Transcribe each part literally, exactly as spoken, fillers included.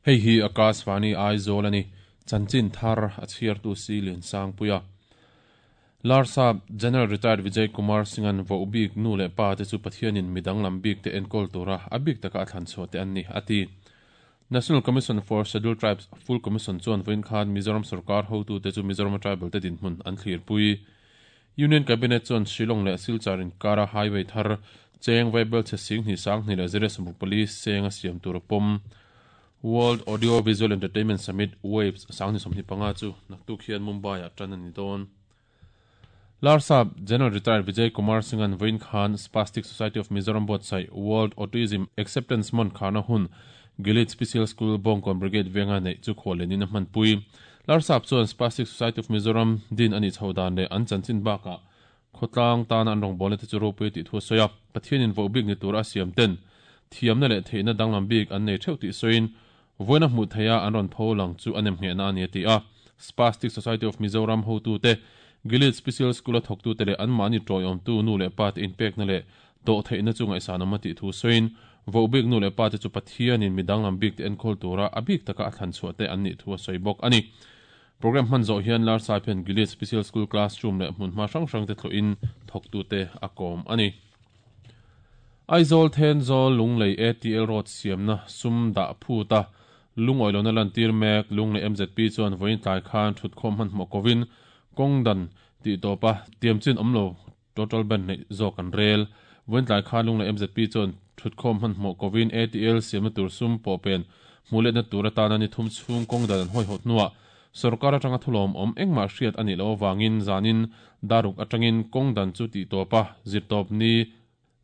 Hei hi Akashvani Aizawl ani chanchin thar a chhiartu si lian sang puia Larsap General Retired Vijay Kumar Singh an vo bik nu le pa te chu Pathianin midang lam bik te enkol tura a bik taka a thlan chhuah te an ni ati. National Commission for Scheduled Tribes Full Commission chuan vawiin khan Mizoram sarkar hotu te chu Mizoram tribal te dinhmun an thlir pui. Union Cabinet chuan Shillong leh Silchar inkara highway thar cheng vaibel che sing hnih sang hnih leh zero sawmruk pali seng a siam tur a pawm. World Audio Visual Entertainment Summit Waves sang hnih sawmhnih panga chu naktuk hian Mumbai ah tan a ni dawn. Larsap General Retired Vijay Kumar Singh an vawiin khan Spastic Society of Mizoram buatsaih World Autism Acceptance Month kharna hun Gilead Special School Bawngkawn Brigade venga neih chu khuallenin a hmanpui. Larsap chuan Spastic Society of Mizoram din a nih chho dan leh an chanchin bakah khawtlang tana an rawngbawlna te chu ropui tih thu a sawi a. Pathianin voh bik ni tur a siam ten thiamna leh theihna danglam bik an nei theuh tih sawiin vawiina hmuh theiha an rawn pho lang chu a nem nghehna a ni a ti a. Spastic Society of Mizoram hotute Gilead Special School a thawktute leh anmahni tawiawmtu nu leh pa te inpekna leh dawh theihna chu ngaihsan awm a tih thu sawiin voh bik nu leh pa te chu Pathianin midang lam bik te enkawl tura a bik taka a thlan chhuah te an nih thu a sawi bawk a ni. Program hman zawh hian Larsap hian Gilead Special School classroom leh hmunhma hrang hrang te thlawhin thawktute a kawm a ni. Aizawl Thenzawl Lunglei A T L Road siamna sum dah phuta lungawi lohna lantir mek Lunglei M Z P chuan vawiin tlai khan thutkhawm hmanhmawh kovin kawng dan tih tawpa tiamchin awm lo total ban neih zawk an rel. Vawiin tlai khan Lunglei M Z P chuan thutkhawm hmanhmawh kovin A T L siamna tur sum pawh pen hmuhletna tur atana ni thum chhung kawng dan an hawihhawt hnuah sarkar atanga thulawm awm engmah hriat a nih loh awangin zanin daruk atangin kawng dan chu tih tawpa zir tawp ni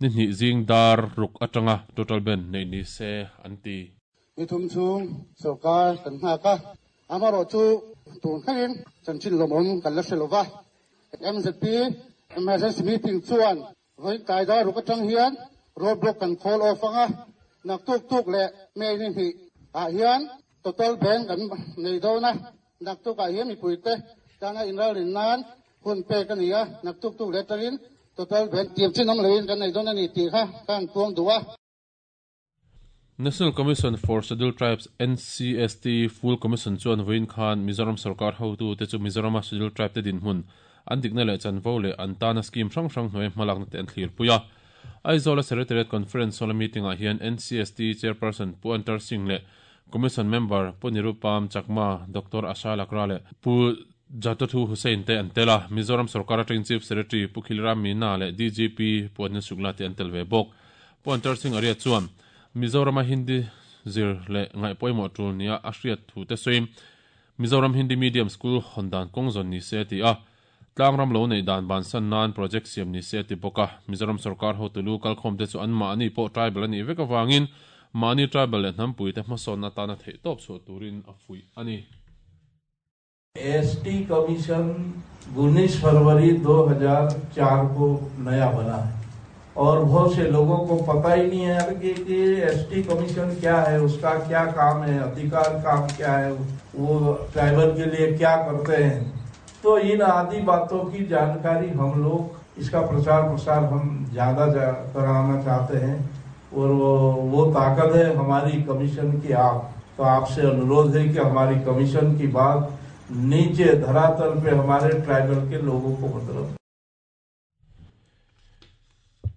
ni hnih zing dar ruk atanga total ban neih ni se an ti. Ni thum chhung sarkar kan nghak a, amarawh chu tun thlengin chanchin lawmawm kan la hre lova. M Z P emergency meeting chuan vawiin tlai dar ruk atang hian road block kan call off anga naktuk tuk leh May ni hnih ah hian total ban kan nei dawn a, naktuk ah hian mipui te tana inralrin nan hun pek a ni a, naktuk tuk leh atangin total ban tiamchin awm loin kan nei dawn a ni tih kha kan puang duh a. National Commission for Scheduled Tribes N C S T Full Commission chuan vawiin khan Mizoram sarkar hotu te chu Mizorama Scheduled Tribe te dinhmun an dikna leh chanvo leh an tana scheme hrang hrang hnuai hmalakna te an thlir pui a. Aizawl Secretariat Conference hall meeting ah hian N C S T Chairperson Pu Antar Singh leh Commission Member Pu Nirupam Chakma, Doctor Asha Lakra leh Pu Jatothu Hussain te an tel a. Mizoram sarkar atangin Chief Secretary Pu Khilram Meena leh D G P Pu Anil Shukla te an tel ve bawk. Pu Antar Singh aria chuan Mizorama Hindi zir leh ngaih pawimawh tul nia a hriat thu te sawiin Mizoram Hindi Medium School hawn dan kawng zawn ni se ti a, tlangram lo nei dan ban san nan project siam ni se ti bawk a. Mizoram sarkar hotulu kalkhawm te chu an mahni pawh tribal ani vek awangin mahni tribal leh hnampui te hmasawnna tana theih tawp chhuah turin a fuih a ni. S T Commission उन्नीस फरवरी दो हजार चार को नया बना है और बहुत से लोगों को पता ही नहीं है कि, कि S T commission क्या है, उसका क्या काम है, अधिकार काम क्या है, वो ट्राइबल के लिए क्या करते हैं। तो इन आदि बातों की जानकारी हम लोग, इसका प्रचार प्रसार हम ज्यादा जा-, कराना चाहते हैं और वो, वो ताकत है हमारी कमीशन की। आप तो आपसे अनुरोध है कि हमारी कमीशन की बात नीचे धरातल पे हमारे ट्राइबल के लोगों को मतलब।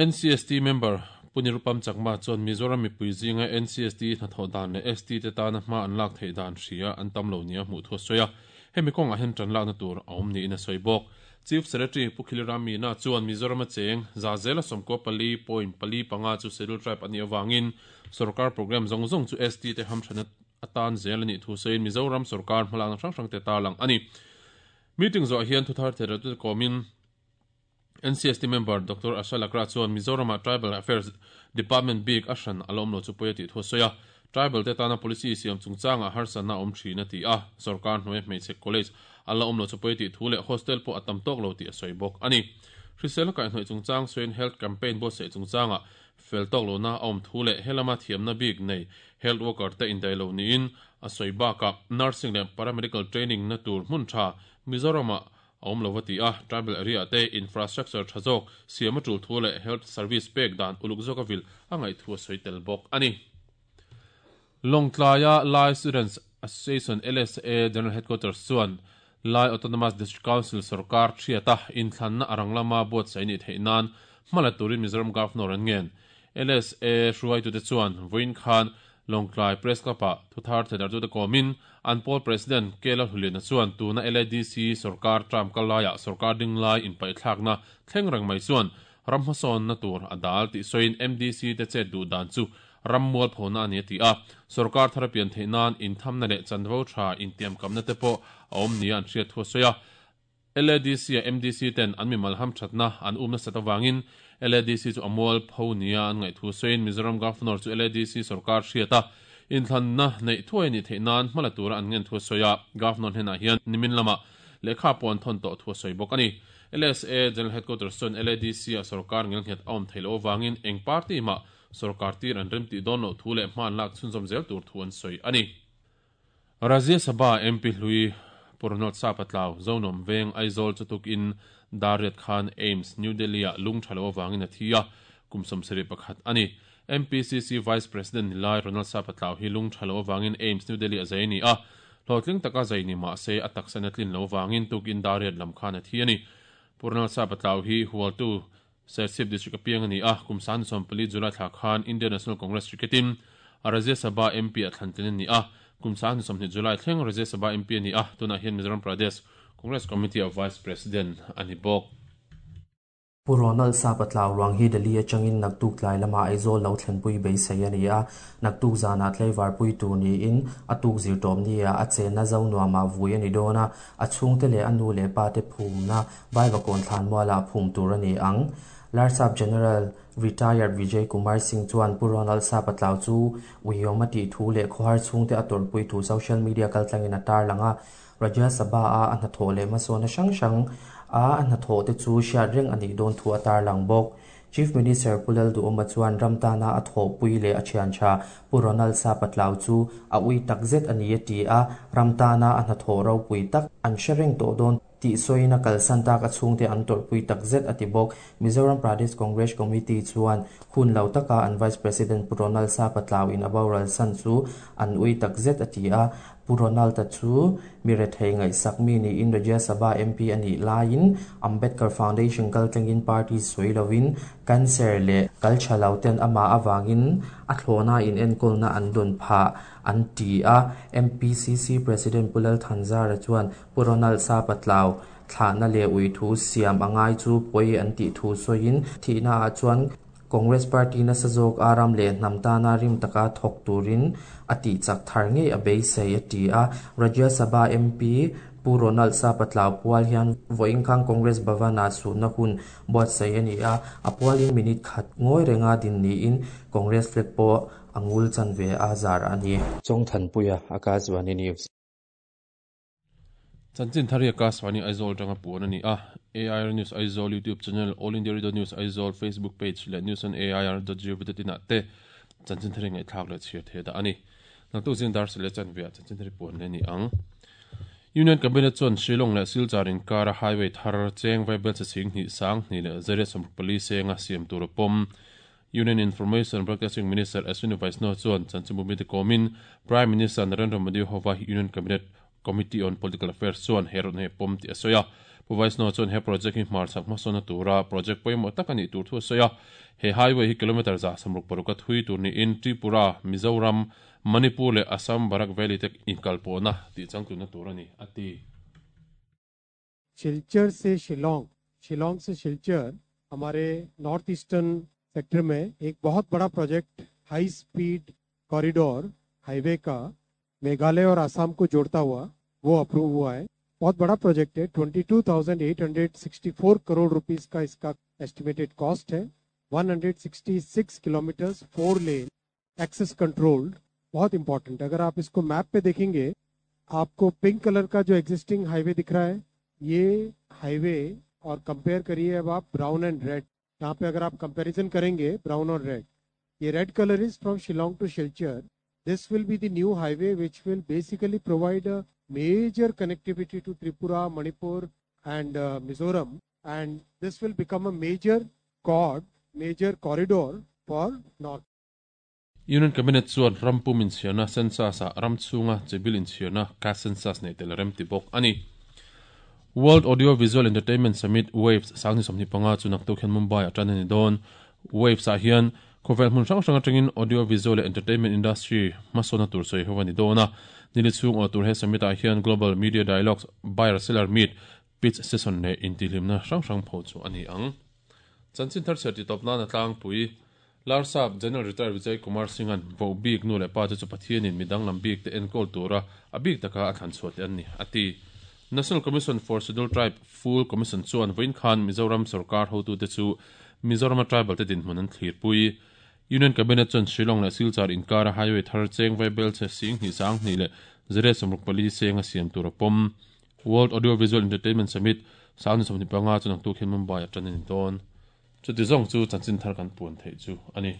N C S T member Punirupam Chakma chuan Mizoram mipui zinga N C S T hnathawh dan leh S T te tana hma an lak theih dan hria an tam lo nia hmuh thu a sawi a. Hemi kawngah hian tan lakna tur a awm niin a sawi bawk. Chief Secretary Pu Khilram Meena chuan Mizoram a cheng zazela sawmkaw pali point pali panga chu Scheduled Tribe ani awangin sarkar program zawng zawng chu S T te hamthana atan zel ani thu sawiin Mizoram sarkar hmalakna hrang hrang te tarlang ani. Meeting zawh hian thuthar thera tu komin N C S T member Doctor Asha Lakra chuan Mizoram Tribal Affairs Department bik ashan alawm lo chu pawia tih thu a sawi a. Tribal te tana policy siam chungchanga harsana awm thin a ti a. Sarkar hnuai hmeichhe college ala awm lo chu pawia tih thu leh hostel pawh a tam tawk lo tih a sawi bawk ani. Hrisel kai hnuai chungchang sawiin health campaign bo se chungchanga fel tawk lo na awm thu leh helama thiamna bik nei health worker te indai lo niin a sawi bakah nursing leh paramedical training na tur hmun tha Mizorama awm lo ti a. Tribal area te infrastructure thazok siam tul thu leh health service pek dan uluk zawk avil angai thu a sawi tel bawk ani. Lawngtlaia Lai Students Association L S A General Headquarters chuan Lai Autonomous District Council sorkar thiata inthlanna arang lama buatsaih ni theih nan hmala turin Mizoram Governor an ngen. L S A hruaitute chuan vawiin khan Lawngtlai Press Club-ah thuthar thedar te kawmin an pawl President Kela Huliana chuan tuna L A D C sorkar term kalaiah sorkar dinglai inpaihthlakna thleng reng mai chuan ram hmasawnna tur a dal tih sawiin M D C te chet duh dan chu ram mual phona ani ti a sorkar thar pian theih nan inthamna leh chanvo tha intiamkamna te pawh a awm nia an hriat thu sawi a. L A D C a M D C ten an mimal ham thatna an umna sat awangin L A D C chu amual pho nia an ngaih thu sawiin Mizoram Governor chu L A D C sorkar hriata inthlanna neih thuai ni theih nan hmala tura an ngen thu sawi a. Governor hnenah hian nimin lama lehkha pawn thon tawh thu sawi bawk ani. L S A General Headquarters chuan L A D C a sorkar ngel nghet a awm theilo awangin eng party ma sorkar tir an rem ti dawn lo thu leh hman lak chhunzawm zel tur thu an sawi ani. Rajya Sabha M P hlui Pu Ronald Sapa Tlau, Zonuam Veng, Aizawl chu tukin dar riat khan AIIMS, New Delhi a lung thalo awangin a thi a, kum sawmsarih pakhat ani. M P C C Vice President nilai Ronald Sapa Tlau hi lung thalo awangin AIIMS, New Delhi a zai ni a, hlawhtling taka zai ni ma se a taksa tlin lo wangin tukin dar riat lam khan a thi ani. Pu Ronald Sapa Tlau hi Hualtu, Serchhip District apiang ani a, kum san som pali July thla khan Indian National Congress ticketin a Rajya Sabha M P a thlantlin ani a, kum san som ni July thleng Rajya Sabha M P ani a, tuna hian Mizoram Pradesh Congress Committee of Vice President ani bawk. Pu Ronald Sapa Tlau ruang hi Delhi atangin naktuk tlai lama Aizawl lo thlenpui beisei ani a, naktuk zana tlaivar pui tur niin atuk zir tawm ni a a chenna Zonuamah vui ani dawn a, a chhungte leh a nu leh pa te phumna Vaivakawn thlanmualah phum tur ani ang. Larsap General Retired Vijay Kumar Singh chuan Pu Ronald Sapa Tlau chu uiawm a tih thu leh khawhar chhungte a tawrhpui thu social media kaltlangin a tar lang a, Rajya Sabha a a hnathawh leh hmasawnna hrang hrang a a hnathawh te chu hriat reng anih dawn thu a tar lang bawk. Chief Minister Pu Lalduhoma chuan ramtana a thawhpui leh a thian tha Pu Ronald Sapa Tlau chu a ui takzet ani a ti a, ramtana a hnathawh ropui tak an hre reng tawh dawn tih sawiin a kalsan tak a chhungte an tawrhpui takzet a ti bawk. Mizoram Pradesh Congress Committee chuan hun lo taka an Vice President Pu Ronald Sapa Tlau in a boral san chu an ui takzet a ti a, Pu Ronald ta chu mi rethei ngaihsak mi niin Rajya Sabha M P anih laiin Ambedkar Foundation kaltlangin party sawi lovin cancer leh kal tha lo ten amah awangin a thlawhna in enkawlna an dawn phah an ti a. M P C C President Pu Lal Thanzara chuan Pu Ronald Sapa Tlau thlahna leh ui thu siam angai chu pawi an tih thu sawiin thihna ah chuan Congress Party nasa zawk aram leh hnam tana rim taka thawk turin a tih chak thar ngei a beisei a ti a. Rajya Sabha M P Pu Ronald Sapa Tlau pual hian vawiin khang Congress Bhavan-ah suhna hun buatsaih ani a, a pualin minute khat ngawi renga din niin Congress flag pawh a ngul chan ve a zar ani. Chawngthanpuia, Akashvani News. Chanchin thar hi Akashvani Aizawl tanga puan ani a. A I R News Aizawl YouTube channel, All India Radio News Aizawl Facebook page leh news on A I R dot gov dot in ah te chanchin thar ngai thlak leh chhiar the da ani. Naktuk zing dar sele chan via chanchin thar puan le ni ang. Union Cabinet chuan Shillong leh Silchar inkara highway thar cheng vaibel che sing hnih sang hnih leh zariat sawmruk pali senga siam tur pawm. Union Information Broadcasting Minister Ashwini Vaishnaw chuan chanchinbu te kawmin Prime Minister Narendra Modi hova Union Cabinet Committee on Political Affairs chuan he rawn he pawm tih a sawi a. Pu Vaishnaw chuan he project hi hmar chak hmasawnna tura project pawimawh tak ani tur thu a sawi a. He highway hi kilometer za sawmruk paruk a thui tur niin Tripura, Mizoram, Manipur leh Assam Barak Valley te inkalpawhna tih changtlunna tur ani a ti. Silchar से शिलोंग, शिलोंग से शिलचर, हमारे north eastern sector में एक बहुत बड़ा project high speed corridor highway का मेघालय और आसाम को जोड़ता हुआ वो अप्रूव हुआ है। बहुत बड़ा प्रोजेक्ट है। बाईस हज़ार आठ सौ चौंसठ करोड़ रुपीस का इसका एस्टिमेटेड कॉस्ट है। एक सौ छियासठ kilometres, four lane, access controlled, बहुत इंपॉर्टेंट। अगर आप इसको मैप पे देखेंगे, आपको पिंक कलर का जो एग्जिस्टिंग हाईवे दिख रहा है, ये हाईवे और कंपेयर करिए अब आप brown and red. यहाँ पे अगर आप कंपैरिजन करेंगे ब्राउन और रेड, ये red colour is from Shillong to Silchar. This will be the new highway, which will basically provide a major connectivity to Tripura, Manipur and Mizoram, and this will become a major chord major corridor for north. Union Cabinet chuan rampum inchhiarna census ah ram chhunga chibil inchhiarna caste census nei tel rem ti bawk a ni. World Audio Visual Entertainment Summit Waves sangni sawmhnih panga chu naktuk hian Mumbai ah tan a ni dawn. Waves ah hian khawvel hmun hrang hrang atangin audio visual leh entertainment industry hmasawnna tur sawi ho a ni dawn a. Nili chhung aw tur he summit ah hian Global Media Dialogues, Buyer Seller Meet, Pitch Session leh intihhlimna hrang hrang pho chu a ni ang. Chanchin thar chhiar titawp nana tlangpui Larsap General Retired Vijay Kumar Singh-a'n voh bik nu leh pa te chu Pathianin mi danglam bik te enkawl tura a bik taka a thlan chhuah te an ni, a ti. National Commission for Scheduled Tribe Full Commission chuan vawiin khan Mizoram sorkar hotute chu Mizorama tribal te dinhmun an thlirpui. Union Cabinet chuan Shillong leh Silchar inkara highway thar cheng vaibel chhe sing hnih sang hnih leh zariat sawmruk pali seng a siam tur a pawm. World Audio Visual Entertainment Summit sang ni sawmhnih panga chu naktuk hian Mumbai ah tan a ni dawn. Chuti zawng chu chanchin thar kan puan theih chu a ni.